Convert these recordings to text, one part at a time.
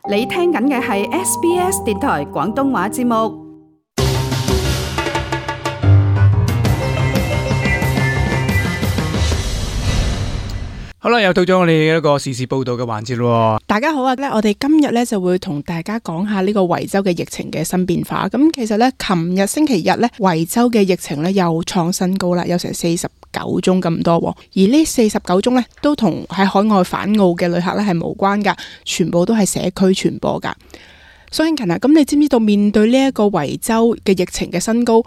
你聽緊嘅係 SBS 電台廣東話節目。好啦，又到咗我哋一個時事報道嘅環節咯。大家好啊！我哋今日咧就會同大家講下呢個維州嘅疫情嘅新變化。咁其實咧，琴日星期日咧，維州嘅疫情咧又創新高啦，有成49宗咁多。而呢49宗咧，都同喺海外返澳嘅旅客咧係無關噶，全部都係社區傳播噶。蘇慶勤啊，咁你知唔知道面對呢一個維州嘅疫情嘅新高，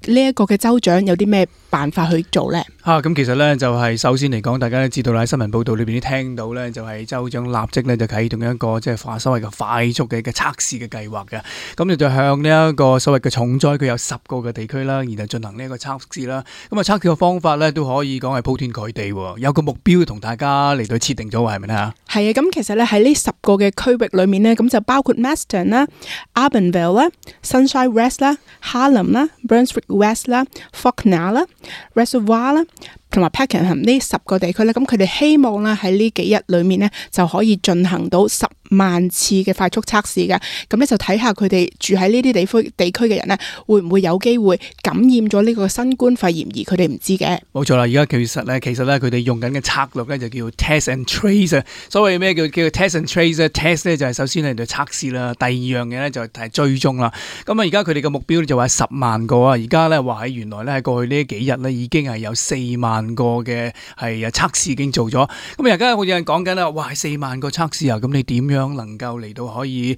呢一個嘅州長有啲咩辦法去做呢？咁其實咧就係首先嚟講，大家都知道啦，喺新聞報道裏邊都聽到咧，就係州長立即咧就啟動一個即係所謂嘅快速嘅測試嘅計劃嘅。咁你就向呢一個所謂嘅重災區有10個嘅地區啦，然後進行呢一個測試啦。咁啊測試嘅方法咧都可以講係鋪天蓋地，有個目標同大家嚟到設定咗，係咪咧？係啊，咁其實咧喺呢10個嘅區域裏面呢，咁就包括 Maston 啦、Arbanville 啦、Sunshine West 啦、Harlem 啦、Brunswick West 啦、Fawkner 啦、Reservoir 啦，同埋 Pakenham 呢10個地區咧，咁佢哋希望咧喺呢幾日裏面咧就可以進行到10萬次嘅快速測試嘅，咁咧就睇下佢哋住喺呢啲地區嘅人咧，會唔會有機會感染咗呢個新冠肺炎而佢哋唔知嘅。冇錯啦，而家其實咧佢哋用緊嘅策略咧就叫 test and trace。所謂咩叫 test and trace？test 咧就係首先係度測試啦，第二樣嘢咧就係追蹤啦。咁啊而家佢哋嘅目標就話10萬個啊，而家咧話喺原來咧喺過去呢幾日咧已經係有4萬個嘅係測試已經做咗。咁而家好似有人講緊啦，哇4萬個測試啊，咁你點樣能夠嚟到可以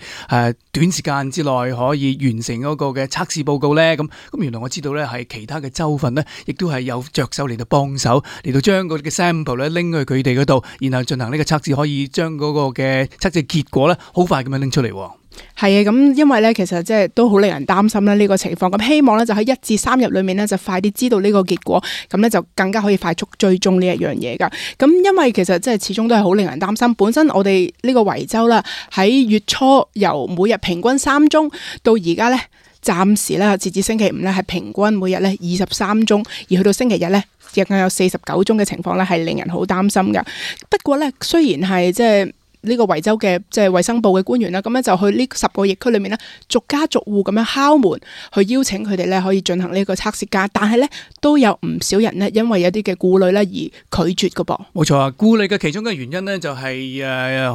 短時間之內可以完成嗰個嘅測試報告呢？咁原來我知道呢係其他嘅州份呢，亦都係有着手嚟到幫手嚟到將嗰啲嘅 sample 咧拎去佢哋嗰度，然後進行呢個測試，可以將嗰個嘅測試結果呢好快咁樣拎出嚟。係啊，咁因為咧，其實即係都好令人擔心啦呢個情況。咁希望咧就喺1至3日裏面咧就快啲知道呢個結果，咁咧就更加可以快速追蹤呢一樣嘢噶。咁因為其實即係始終都係好令人擔心。本身我哋呢個維州啦，喺月初由每日平均3宗到而家咧，暫時咧截至星期5咧係平均每日咧23宗，而去到星期日咧亦有49宗嘅情況咧係令人好擔心噶。不過咧雖然係即係呢個維州嘅即係衛生部嘅官員啦，咁咧就去呢10個疫區裏面咧，逐家逐戶咁樣敲門，去邀請佢哋咧可以進行呢個測試㗎。但係咧都有唔少人咧，因為有啲嘅顧慮咧而拒絕㗎噃。冇錯啊，顧慮嘅其中嘅原因咧就係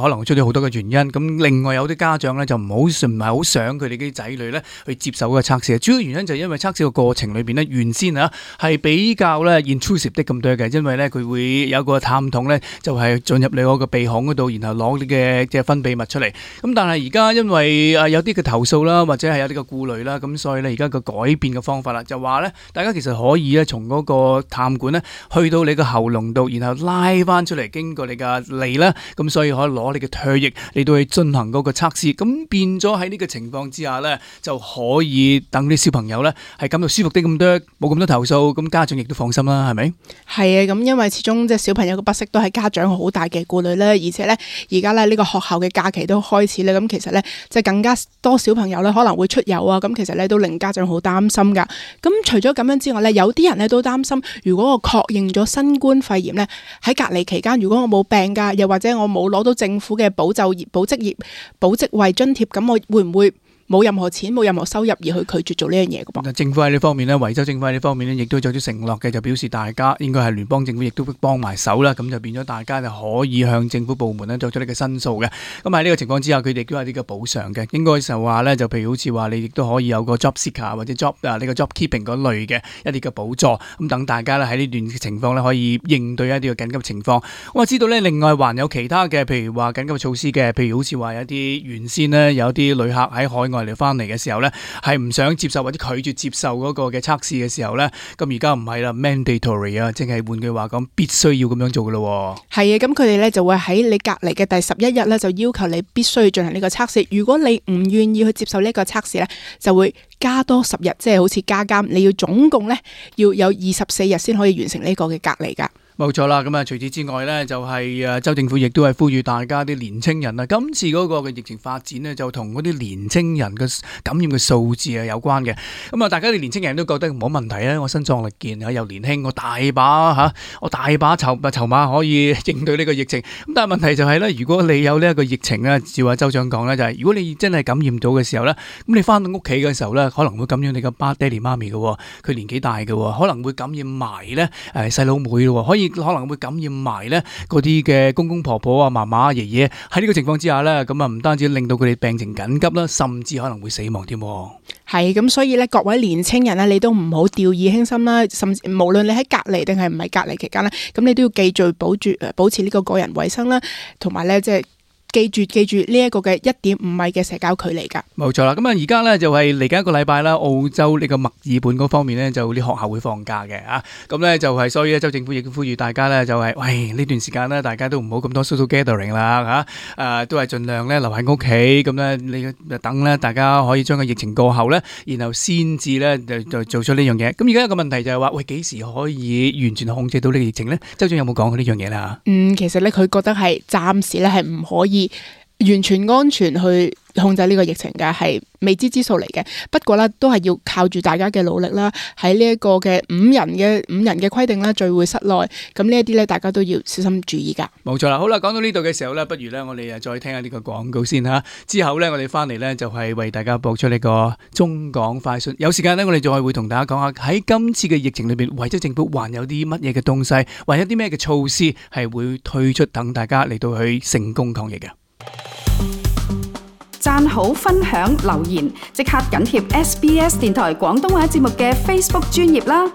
可能出咗好多嘅原因。咁另外有啲家長咧就唔係好想佢哋啲仔女咧去接受嗰個測試。主要原因就係因為測試嘅過程裏邊咧原先係比較咧 intrusive 啲咁多嘅，因為咧佢會有個探筒咧就係進入你嗰個鼻孔嗰度，然後攞嘅即係分泌物出嚟，咁但係而家因為有啲嘅投訴啦，或者係有啲嘅顧慮啦，咁所以咧而家個改變嘅方法啦，就話咧大家其實可以咧從嗰個探管咧去到你個喉嚨度，然後拉翻出嚟，經過你嘅脷啦，咁所以可以攞你嘅唾液嚟到去進行嗰個測試，咁變咗喺呢個情況之下咧，就可以等啲小朋友咧係感到舒服啲咁多，冇咁多投訴，咁家長亦都放心啦，係咪？係啊，咁因為始終即係小朋友嘅不適都係家長好大嘅顧慮啦，而且咧而家呢個學校嘅假期都開始咧，咁其實咧即係更加多小朋友咧可能會出遊啊，咁其實咧都令家長好擔心噶。咁除咗咁樣之外咧，有啲人咧都擔心，如果我確認咗新冠肺炎咧，喺隔離期間，如果我冇病噶，又或者我冇攞到政府嘅保就業、保職位津貼，咁我會唔會冇任何錢冇任何收入而去拒絕做呢樣嘢嘅噃？政府喺呢方面呢，維州政府喺呢方面呢，亦都做咗承諾嘅，就表示大家應該係聯邦政府亦都幫埋手啦，咁就變咗大家就可以向政府部門呢作出呢個申訴嘅。咁喺呢個情況之下，佢哋都有啲嘅補償嘅，應該就話呢，就譬如好似話你亦都可以有個 job seeker 或者 job 呢個 job keeping 嗰類嘅一啲嘅補助，咁等大家咧喺呢段情況呢，可以應對一啲嘅緊急情況。我知道呢，另外還有其他嘅，譬如話緊急措施嘅，譬如好似話有啲原先呢，有啲旅客喺海外嚟翻嚟嘅時候呢，係唔想接受或者拒絕接受嗰個嘅測試嘅時候呢，咁而家唔係啦 mandatory 啊，即係換句話講必須要咁樣做噶咯。係啊，咁佢哋呢就會喺你隔離嘅第11日呢，就要求你必須要進行呢個測試。如果你唔願意去接受呢個測試呢，就會加多10日，即係好似加監，你要總共呢要有24日先可以完成呢個嘅隔離噶。冇錯啦，咁啊，除此之外咧，就係州政府亦都係呼籲大家啲年青人啊，今次嗰個嘅疫情發展呢，就同嗰啲年青人嘅感染嘅數字啊有關嘅。咁啊，大家啲年青人都覺得冇問題啊，我身壯力健啊，又年輕，我大把籌碼可以應對呢個疫情。咁但係問題就係咧，如果你有呢一個疫情咧，照阿州長講咧，就係如果你真係感染到嘅時候咧，咁你翻到屋企嘅時候咧，可能會感染你個爹哋媽咪嘅，佢年紀大嘅，可能會感染埋咧細佬妹咯，可能會感染埋咧嗰啲嘅公公婆婆啊、嫲嫲爺爺。喺呢個情況之下咧，咁啊唔單止令到佢哋病情緊急啦，甚至可能會死亡添。係咁，所以咧，各位年青人咧，你都唔好掉以輕心啦。甚至無論你喺隔離定係唔係隔離期間咧，咁你都要記住保持呢個個人衛生啦，同埋咧即係。記住呢一個嘅1.5米嘅社交距離㗎。冇錯啦，咁啊而家咧就係嚟緊一個禮拜啦，澳洲呢個墨爾本嗰方面咧就啲學校會放假嘅啊，咁咧就係所以咧州政府亦都呼籲大家咧就係喂呢段時間咧大家都唔好咁多 social gathering 啦嚇，都係盡量咧留喺屋企，咁咧你等咧大家可以將個疫情過後咧，然後先至咧就做出呢樣嘢。咁而家一個問題就係話喂幾時可以完全控制到呢個疫情咧？州長有冇講過呢樣嘢啦？其實咧佢覺得係暫時咧係唔可以完全安全去控制呢個疫情嘅，係未知之數嚟嘅。不過咧都係要靠住大家嘅努力啦。喺呢一個嘅五人嘅規定啦，聚會室內，咁呢一啲咧大家都要小心注意噶。冇錯啦，好啦，講到呢度嘅時候咧，不如咧我哋再聽下呢個廣告先吓。之後咧我哋翻嚟咧就係為大家播出呢個中港快訊。有時間咧我哋再會同大家講下喺今次嘅疫情裏邊，為咗政府還有啲乜嘢嘅東西，或者啲咩嘅措施係會推出，等大家嚟到去成功抗疫嘅。讚好、分享、留言，即刻緊貼SBS 電台廣東話節目嘅 Facebook 專頁啦！